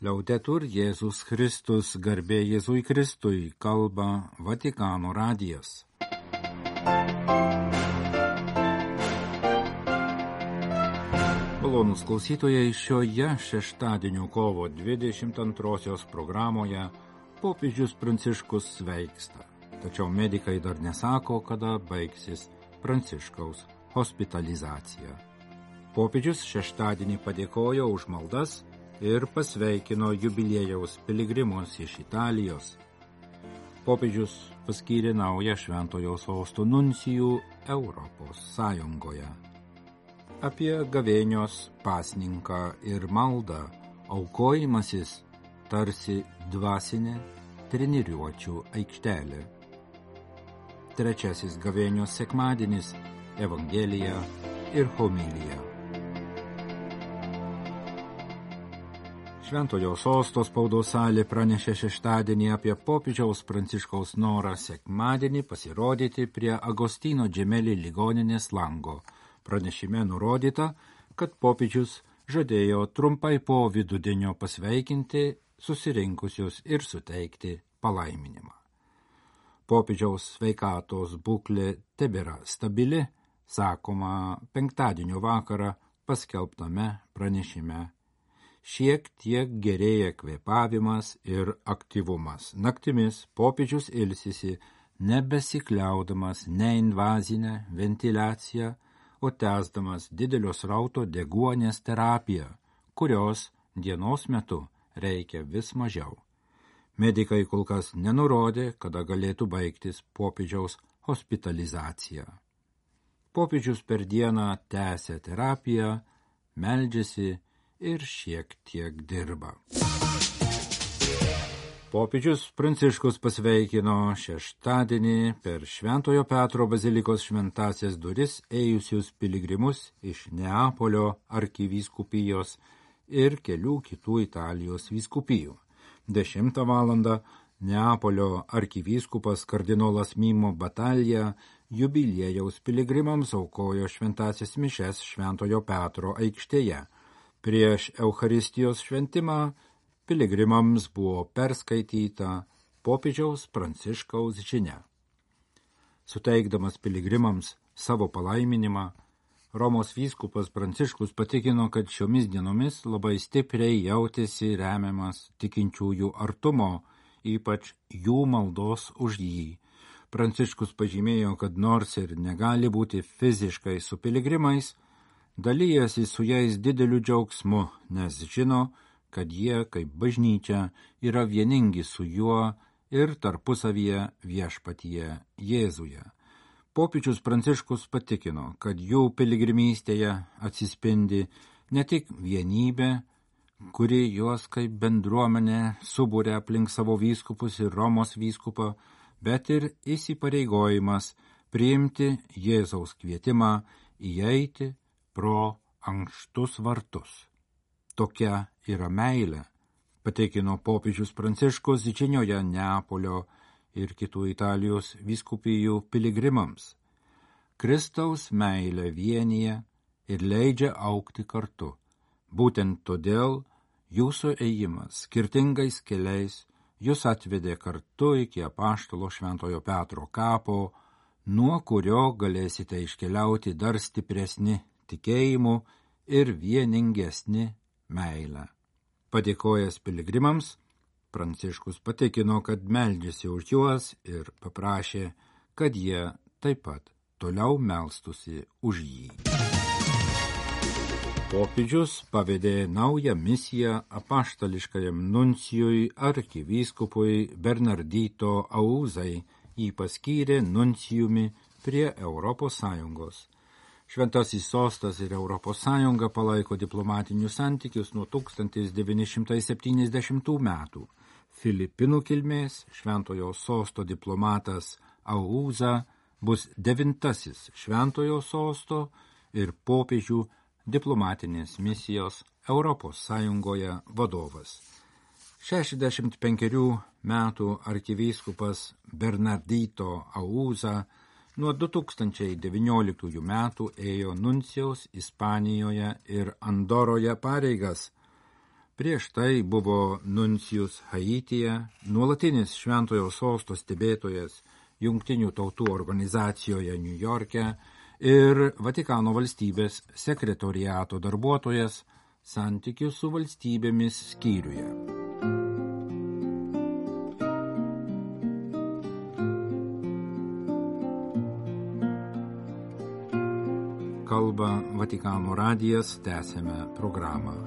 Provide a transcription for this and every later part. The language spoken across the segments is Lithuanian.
Liaudetur Jėzus Kristus, garbė Jėzui Kristui, kalba Vatikano radijas. Malonūs klausytojai, šioje šeštadienio kovo 22 programoje popiežius Pranciškus sveiksta. Tačiau medikai dar nesako, kada baigsis Pranciškaus hospitalizacija. Popiežius šeštadienį padėkojo už maldas ir pasveikino jubiliejaus piligrimus iš Italijos. Popiežius paskyrė naują Šventojo Sosto nuncijų Europos Sąjungoje. Apie gavėnios pasninką ir maldą aukojimasis tarsi dvasinė treniruočių aikštelė. Trečiasis gavėnios sekmadienis – Evangelija ir homilija. Šventojo Sosto spaudos salė pranešė šeštadienį apie popiežiaus Pranciškaus norą sekmadienį pasirodyti prie Agostino Džemeli ligoninės lango. Pranešime nurodyta, kad popiežius žadėjo trumpai po vidudienio pasveikinti susirinkusius ir suteikti palaiminimą. Popiežiaus sveikatos būklė tebėra stabili, sakoma penktadienio vakarą paskelbtame pranešime. Šiek tiek gerėja kvėpavimas ir aktyvumas. Naktimis popiežius ilsisi, nebesikliaudamas neinvazinę ventiliaciją, o tęsdamas didelio srauto deguonies terapiją, kurios dienos metu reikia vis mažiau. Medikai kol kas nenurodė, kada galėtų baigtis popiežiaus hospitalizacija. Popiežius per dieną tęsia terapiją, meldžiasi ir šiek tiek dirba. Popiežius Pranciškus pasveikino šeštadienį per Šventojo Petro bazilikos šventąsias duris ėjusius piligrimus iš Neapolio arkivyskupijos ir kelių kitų Italijos vyskupijų. 10 valandą Neapolio arkivyskupas kardinolas Mimo Batalija jubiliejaus piligrimams aukojo šventąsias mišes Šventojo Petro aikštėje. Prieš Eucharistijos šventimą piligrimams buvo perskaityta popiežiaus Pranciškaus žinia. Suteikdamas piligrimams savo palaiminimą, Romos vyskupas Pranciškus patikino, kad šiomis dienomis labai stipriai jautėsi remiamas tikinčiųjų artumo, ypač jų maldos už jį. Pranciškus pažymėjo, kad nors ir negali būti fiziškai su piligrimais, dalyjasi su jais dideliu džiaugsmu, nes žino, kad jie, kaip bažnyčia, yra vieningi su juo ir tarpusavyje viešpatyje Jėzuje. Popiežius Pranciškus patikino, kad jų piligrimystėje atsispindi ne tik vienybė, kuri juos kaip bendruomenė subūrė aplink savo vyskupus ir Romos vyskupą, bet ir įsipareigojimas priimti Jėzaus kvietimą įeiti pro ankštus vartus. Tokia yra meilė, patikino popiežius Pranciškus žinioje Neapolio ir kitų Italijos vyskupijų piligrimams. Kristaus meilė vienija ir leidžia augti kartu. Būtent todėl jūsų ėjimas skirtingais keliais jūs atvedė kartu iki apaštalo Šventojo Petro kapo, nuo kurio galėsite iškeliauti dar stipresni tikėjimu ir vieningesni meilę. Padėkojęs piligrimams, Pranciškus patikino, kad meldžiasi už juos ir paprašė, kad jie taip pat toliau melstusi už jį. Popiežius pavedė naują misiją apaštališkajam nuncijui arkivyskupui Bernardito Auzai, jį paskyrė nuncijumi prie Europos Sąjungos. Šventasis Sostas ir Europos Sąjunga palaiko diplomatinius santykius nuo 1970 metų. Filipinų kilmės Šventojo Sosto diplomatas Auza bus 9. Šventojo Sosto ir popiežių diplomatinės misijos Europos Sąjungoje vadovas. 65 metų arkivyskupas Bernardito Auza nuo 2019 metų ėjo nuncijaus Ispanijoje ir Andoroje pareigas. Prieš tai buvo nuncijus Haityje, nuolatinis Šventojo sosto stebėtojas Jungtinių tautų organizacijoje Niujorke ir Vatikano valstybės sekretoriato darbuotojas santykių su valstybėmis skyriuje. Kalba Vatikano radijas, tęsėme programą.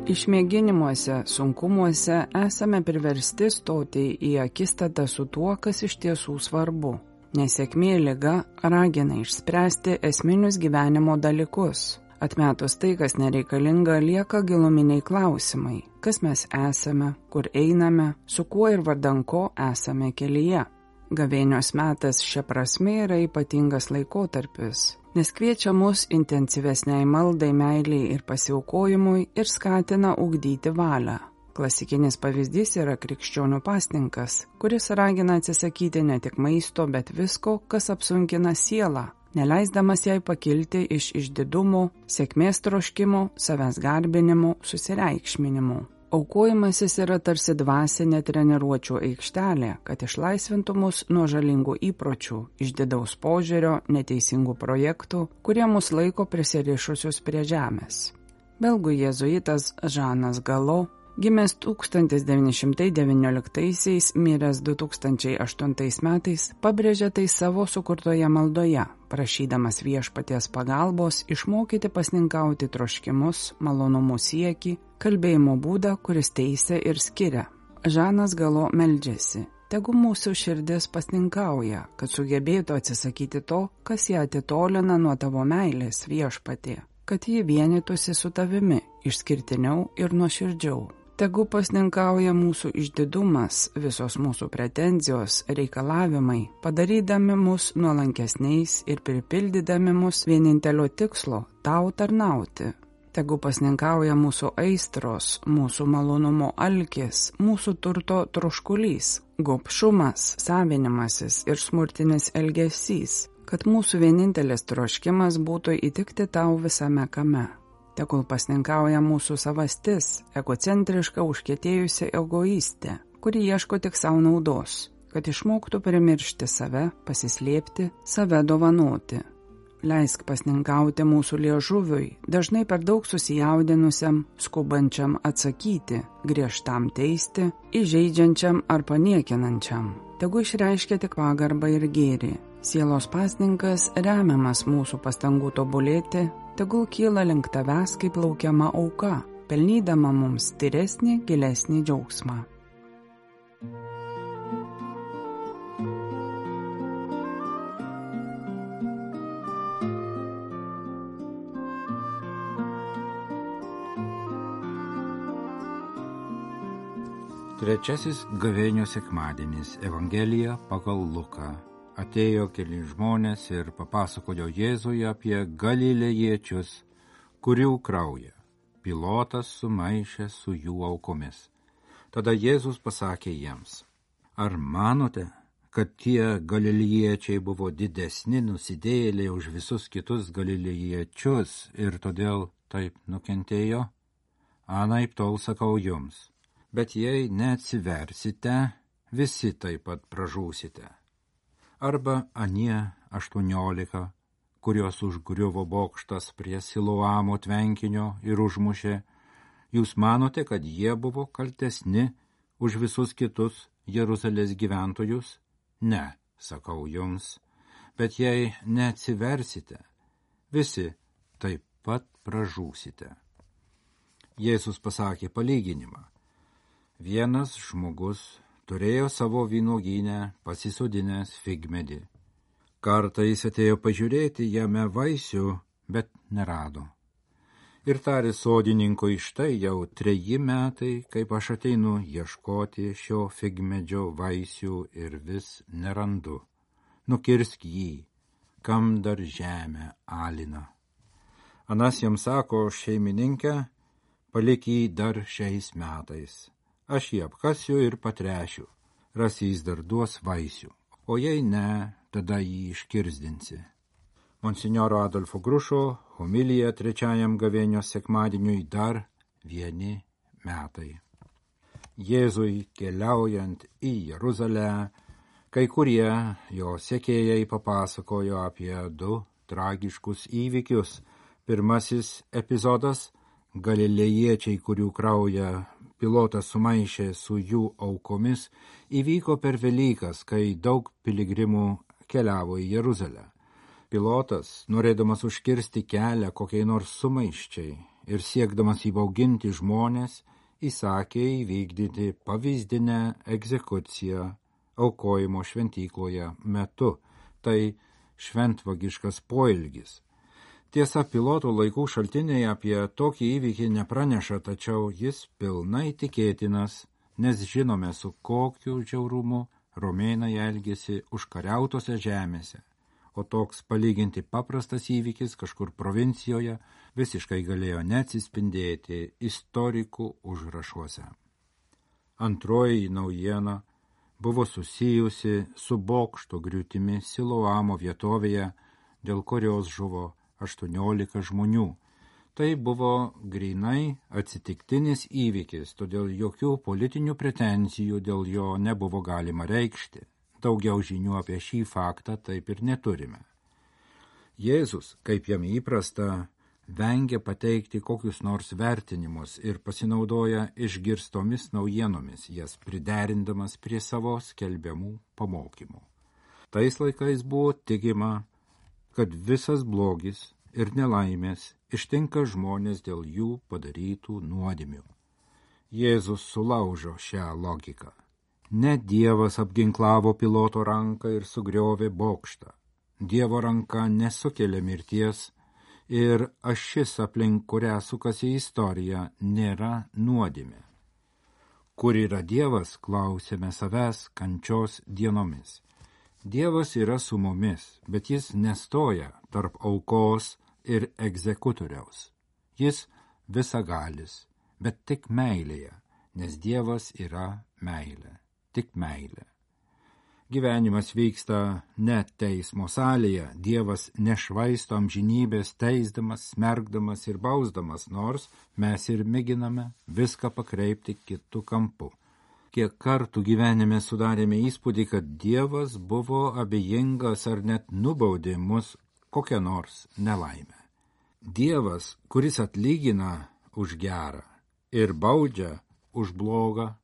Išmėginimuose, sunkumuose esame priversti stoti į akistatą su tuo, kas iš tiesų svarbu. Nesėkmė liga ragina išspręsti esminius gyvenimo dalykus. Atmetus tai, kas nereikalinga, lieka giluminiai klausimai. Kas mes esame, kur einame, su kuo ir vardan ko esame kelyje. Gavėnios metas šia prasme yra ypatingas laikotarpis, nes kviečia mus intensyvesniai maldai, meiliai ir pasiaukojimui ir skatina ugdyti valią. Klasikinis pavyzdys yra krikščionių pasninkas, kuris ragina atsisakyti ne tik maisto, bet visko, kas apsunkina sielą, neleisdamas jai pakilti iš išdidumo, sėkmės troškimo, savęs garbinimo, susireikšminimo. Aukojimasis yra tarsi dvasinė treniruočių aikštelė, kad išlaisvintų mus nuo žalingų įpročių, išdidaus požiūrio, neteisingų projektų, kurie mus laiko prisirišusius prie žemės. Belgų jėzuitas Žanas Galo, gimęs 1919, miręs 2008 metais, pabrėžė tai savo sukurtoje maldoje, prašydamas viešpaties pagalbos išmokyti pasninkauti troškimus, malonumų siekį, kalbėjimo būdą, kuris teisia ir skiria. Žanas Galo meldžiasi: tegu mūsų širdis pasninkauja, kad sugebėtų atsisakyti to, kas ją atitolina nuo tavo meilės, viešpatie, kad ji vienytųsi su tavimi, išskirtiniau ir nuoširdžiau. Tegu pasninkauja mūsų išdidumas, visos mūsų pretenzijos, reikalavimai, padarydami mus nuolankesniais ir pripildydami mus vienintelio tikslo – tau tarnauti. Tegu pasninkauja mūsų aistros, mūsų malonumo alkis, mūsų turto troškulys, gobšumas, savinimasis ir smurtinis elgesys, kad mūsų vienintelis troškimas būtų įtikti tau visame kame. Tegul pasninkauja mūsų savastis, egocentriška užkietėjusi egoistė, kuri ieško tik savo naudos, kad išmoktų primiršti save, pasislėpti, save dovanoti. Leisk pasninkauti mūsų liežuviui, dažnai per daug susijaudinusiam, skubančiam atsakyti, griežtam teisti, įžeidžiančiam ar paniekinančiam. Tegu išreiškia tik pagarbą ir gėrį. Sielos pasninkas, remiamas mūsų pastangų tobulėti, tegul kyla link tavęs kaip laukiama auka, pelnydama mums tyresnį, gilesnį džiaugsmą. Trečiasis gavėnios sekmadienis, Evangelija pagal Luką. Atėjo keli žmonės ir papasakojo Jėzui apie galilėjiečius, kurių kraują Pilotas sumaišė su jų aukomis. Tada Jėzus pasakė jiems: ar manote, kad tie galilėjiečiai buvo didesni nusidėjėliai už visus kitus galilėjiečius ir todėl taip nukentėjo? Anaiptol sakau jums, bet jei neatsiversite, visi taip pat pražūsite. Arba anie 18, kurios užgriuvo bokštas prie Siloamo tvenkinio ir užmušė, jūs manote, kad jie buvo kaltesni už visus kitus Jeruzalės gyventojus? Ne, sakau jums, bet jei neatsiversite, visi taip pat pražūsite. Jėzus pasakė palyginimą. Vienas žmogus turėjo savo vynuogyne pasisodinęs figmedį. Kartą jis atėjo pažiūrėti jame vaisių, bet nerado. Ir tarė sodininkui: štai jau 3 metai, kaip aš ateinu ieškoti šio figmedžio vaisių ir vis nerandu. Nukirsk jį, kam dar žemę alina. Anas jam sako: šeimininkė, palik jį dar šiais metais. Aš jį apkasiu ir patrešiu, ras jis dar duos vaisių, o jei ne, tada jį iškirsdinsi. Monsinjoro Adolfo Grušo homilija 3 gavėnios sekmadieniui dar vieni metai. Jėzui keliaujant į Jeruzalę, kai kurie jo sekėjai papasakojo apie 2 tragiškus įvykius. Pirmasis epizodas – galilėjiečiai, kurių kraują Pilotas sumaišė su jų aukomis, įvyko per Velykas, kai daug piligrimų keliavo į Jeruzalę. Pilotas, norėdamas užkirsti kelią kokiai nors sumaiščiai ir siekdamas įbauginti žmonės, įsakė įvykdyti pavyzdinę egzekuciją aukojimo šventykloje metu. Tai šventvagiškas poelgis. Tiesa, Piloto laikų šaltiniai apie tokį įvykį nepraneša, tačiau jis pilnai tikėtinas, nes žinome, su kokiu žiaurumu romėnai elgėsi užkariautose žemėse, o toks palyginti paprastas įvykis kažkur provincijoje visiškai galėjo neatsispindėti istorikų užrašuose. Antroji naujiena buvo susijusi su bokšto griūtimi Siloamo vietovėje, dėl kurios žuvo 18 žmonių. Tai buvo grynai atsitiktinis įvykis, todėl jokių politinių pretenzijų dėl jo nebuvo galima reikšti. Daugiau žinių apie šį faktą taip ir neturime. Jėzus, kaip jam įprasta, vengia pateikti kokius nors vertinimus ir pasinaudoja išgirstomis naujienomis, jas priderindamas prie savo skelbiamų pamokymų. Tais laikais buvo tikima, kad visas blogis ir nelaimės ištinka žmonės dėl jų padarytų nuodėmių. Jėzus sulaužo šią logiką. Ne Dievas apginklavo Piloto ranką ir sugriovė bokštą. Dievo ranka nesukelia mirties ir ašis, aplink kurią sukasi istorija, nėra nuodėmė. Kur yra Dievas, klausėme savęs kančios dienomis. Dievas yra su mumis, bet jis nestoja tarp aukos ir egzekutoriaus. Jis visagalis, bet tik meilėje, nes Dievas yra meilė, tik meilė. Gyvenimas vyksta ne teismo salėje, Dievas nešvaisto amžinybės teisdamas, smergdamas ir bausdamas, nors mes ir mėginame viską pakreipti kitu kampu. Kiek kartų gyvenime sudarėme įspūdį, kad Dievas buvo abejingas ar net nubaudė mus kokią nors nelaimę. Dievas, kuris atlygina už gerą ir baudžia už blogą,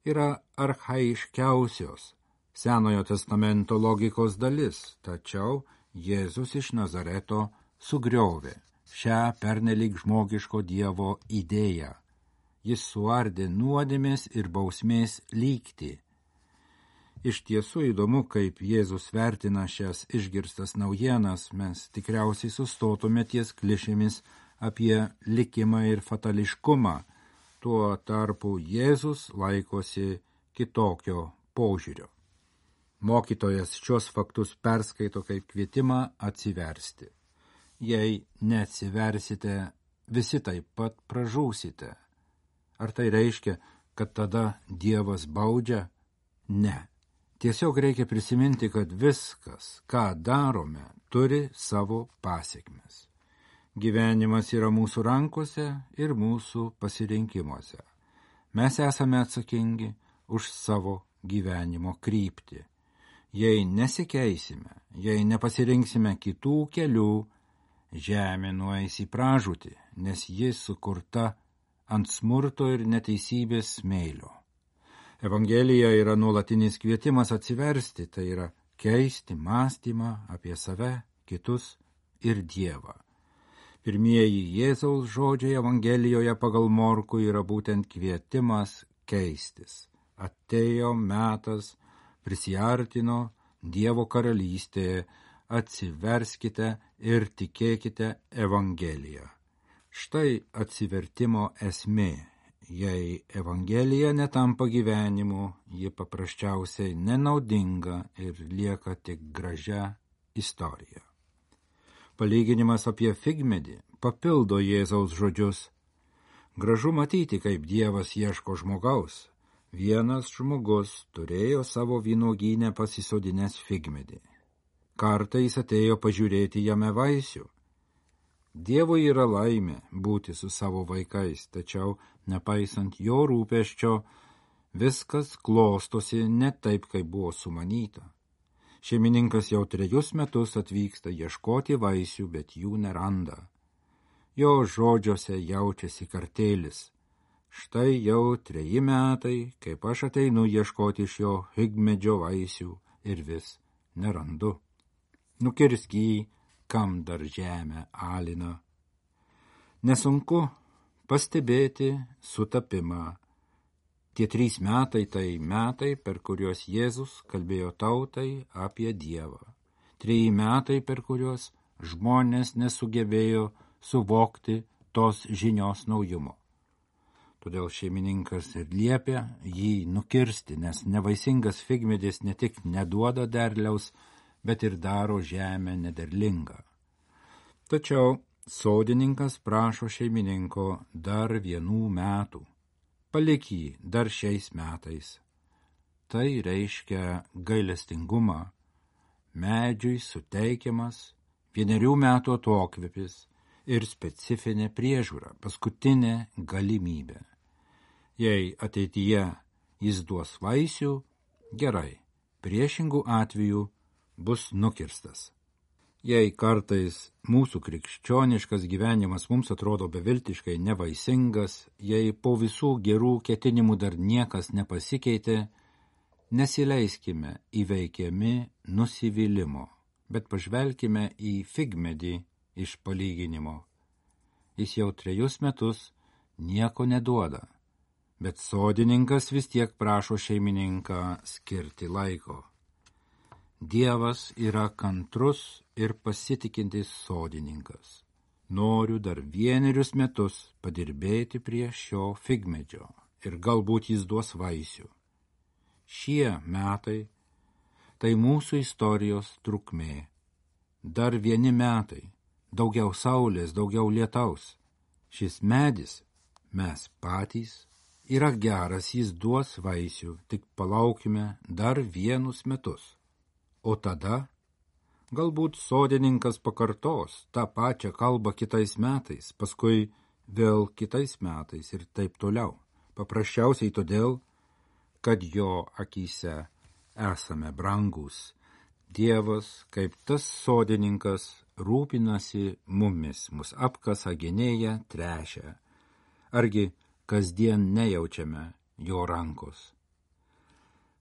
yra archaiškiausios Senojo testamento logikos dalis, tačiau Jėzus iš Nazareto sugriovė šią pernelyg žmogiško Dievo idėją. Jis suardė nuodėmės ir bausmės lygtį. Iš tiesų įdomu, kaip Jėzus vertina šias išgirstas naujienas, mes tikriausiai sustotume ties klišėmis apie likimą ir fatališkumą. Tuo tarpu Jėzus laikosi kitokio požiūrio. Mokytojas šios faktus perskaito kaip kvietimą atsiversti. Jei neatsiversite, visi taip pat pražūsite. Ar tai reiškia, kad tada Dievas baudžia? Ne. Tiesiog reikia prisiminti, kad viskas, ką darome, turi savo pasekmes. Gyvenimas yra mūsų rankose ir mūsų pasirinkimuose. Mes esame atsakingi už savo gyvenimo kryptį. Jei nesikeisime, jei nepasirinksime kitų kelių, žemė nueis į pražūtį, nes ji sukurta ant smurto ir neteisybės smėlio. Evangelija yra nuolatinis kvietimas atsiversti, tai yra keisti mąstymą apie save, kitus ir Dievą. Pirmieji Jėzaus žodžiai Evangelijoje pagal Morkų yra būtent kvietimas keistis. Atėjo metas, prisiartino Dievo karalystė, atsiverskite ir tikėkite Evangeliją. Štai atsivertimo esmė. Jei Evangelija netampa gyvenimu, ji paprasčiausiai nenaudinga ir lieka tik gražia istorija. Palyginimas apie figmedį papildo Jėzaus žodžius. Gražu matyti, kaip Dievas ieško žmogaus. Vienas žmogus turėjo savo vynuogyne pasisodinęs figmedį. Kartą jis atėjo pažiūrėti jame vaisių. Dievui yra laimė būti su savo vaikais, tačiau, nepaisant jo rūpesčio, viskas klostosi ne taip, kaip buvo sumanyta. Šeimininkas jau 3 metus atvyksta ieškoti vaisių, bet jų neranda. Jo žodžiuose jaučiasi kartėlis. Štai jau 3 metai, kaip aš ateinu ieškoti šio figmedžio vaisių ir vis nerandu. Nukirsk jį, kam dar žemę alina. Nesunku pastebėti sutapimą. Tie 3 metai tai metai, per kuriuos Jėzus kalbėjo tautai apie Dievą. 3 metai, per kuriuos žmonės nesugebėjo suvokti tos žinios naujumo. Todėl šeimininkas ir liepia jį nukirsti, nes nevaisingas figmedis ne tik neduoda derliaus, bet ir daro žemę nederlingą. Tačiau sodininkas prašo šeimininko dar 1 metų. Palik jį dar šiais metais. Tai reiškia gailestingumą. Medžiui suteikiamas 1 metų atokvėpis ir specifinė priežiūra, paskutinė galimybė. Jei ateityje jis duos vaisių, gerai, priešingų atveju bus nukirstas. Jei kartais mūsų krikščioniškas gyvenimas mums atrodo beviltiškai nevaisingas, jei po visų gerų ketinimų dar niekas nepasikeitė, nesileiskime įveikiami nusivylimo, bet pažvelkime į figmedį iš palyginimo. Jis jau 3 metus nieko neduoda, bet sodininkas vis tiek prašo šeimininką skirti laiko. Dievas yra kantrus ir pasitikintis sodininkas. Noriu dar 1 metus padirbėti prie šio figmedžio ir galbūt jis duos vaisių. Šie metai tai mūsų istorijos trukmė. Dar 1 metai, daugiau saulės, daugiau lietaus. Šis medis, mes patys, yra geras, jis duos vaisių, tik palaukime dar 1 metus. O tada galbūt sodininkas pakartos tą pačią kalbą kitais metais, paskui vėl kitais metais ir taip toliau. Paprasčiausiai todėl, kad jo akyse esame brangus. Dievas, kaip tas sodininkas, rūpinasi mumis, mus apkasa, genėja, tręšia. Argi kasdien nejaučiame jo rankos?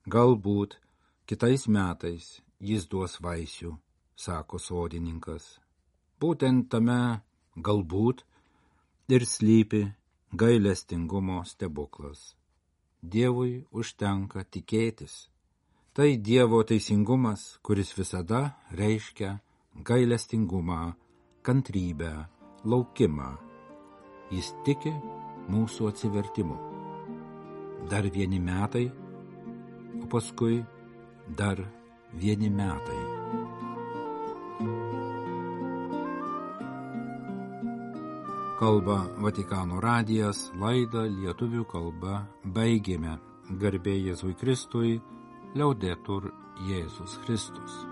Galbūt kitais metais jis duos vaisių, sako sodininkas. Būtent tame galbūt ir slypi gailestingumo stebuklas. Dievui užtenka tikėtis. Tai Dievo teisingumas, kuris visada reiškia gailestingumą, kantrybę, laukimą. Jis tiki mūsų atsivertimu. Dar 1 metai, o paskui dar 1 metai. Kalba Vatikano radijas, laidą lietuvių kalba baigėme. Garbė Jėzui Kristui, Liaudetur Jėzus Kristus.